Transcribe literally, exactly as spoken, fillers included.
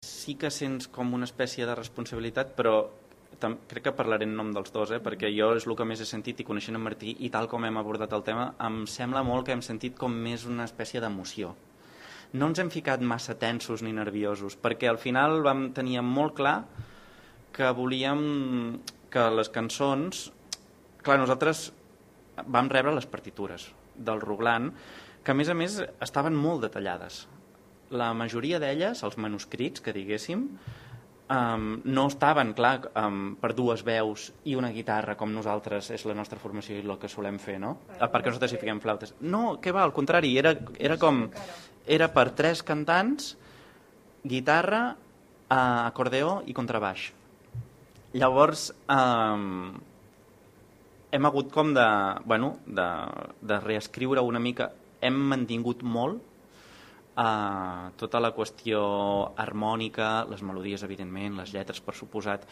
sí que sents com una espècie de responsabilitat, però crec que parlaré en nom dels dos, eh? Perquè jo és el que més he sentit, i coneixent en Martí i tal com hem abordat el tema, em sembla molt que hem sentit com més una espècie d'emoció. No ens hem ficat massa tensos ni nerviosos, perquè al final vam tenir molt clar que volíem que les cançons... Clar, nosaltres vam rebre les partitures del Roglan, que a més a més estaven molt detallades. La majoria d'elles, els manuscrits, que diguéssim, Um, no estaven, clar, um, per dues veus i una guitarra, com nosaltres és la nostra formació i el que solem fer, no? A part que nosaltres hi fiquem flautes. No, què va, al contrari, era, era com... Era per tres cantants, guitarra, uh, acordeó i contrabaix. Llavors, um, hem hagut com de, bueno, de, de reescriure una mica. Hem mantingut molt Uh, tota la qüestió harmònica, les melodies, evidentment, les lletres, per suposat,